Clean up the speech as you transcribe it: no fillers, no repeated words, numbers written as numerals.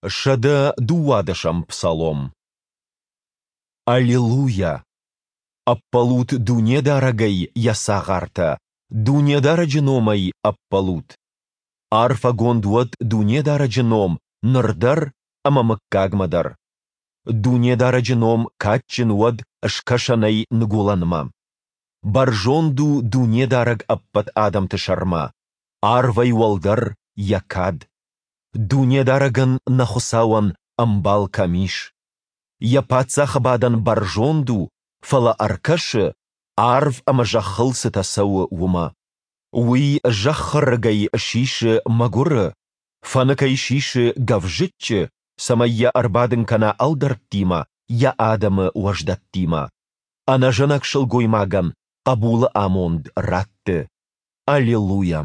112-ӕм псалом. Аллилуйа! Ӕппӕлут Дунедарӕгӕй, Йӕ цагъартӕ, Дунедарӕджы номӕй ӕппӕлут! Арфӕгонд уӕд Дунедарӕджы ном ныр дӕр ӕмӕ мыггагмӕ дӕр! Дунедарӕджы ном кадджын уӕд скӕсӕнӕй ныгуылӕнмӕ! Бӕрзонд у Дунедарӕг ӕппӕт адӕмты сӕрмӕ, арвӕй уӕлдӕр Йӕ кад. Дунедарӕгӕн, нӕ Хуыцауӕн, ӕмбал кӕм ис? Йӕ паддзахы бадӕн бӕрзонд у, фӕлӕ ӕркӕсы, арв ӕмӕ зӕххыл цытӕ цӕуы, уымӕ. Уый зӕххы рыгӕй сисы мӕгуыры, фӕныкӕй сисы гӕвзыччы, цӕмӕй йӕ ӕрбадын кӕна ӕлдӕрттимӕ, йӕ адӕмы уӕздӕттимӕ. Ӕнӕзӕнӕг сылгоймагӕн хъӕбулы амонд ратты. Аллилуйа!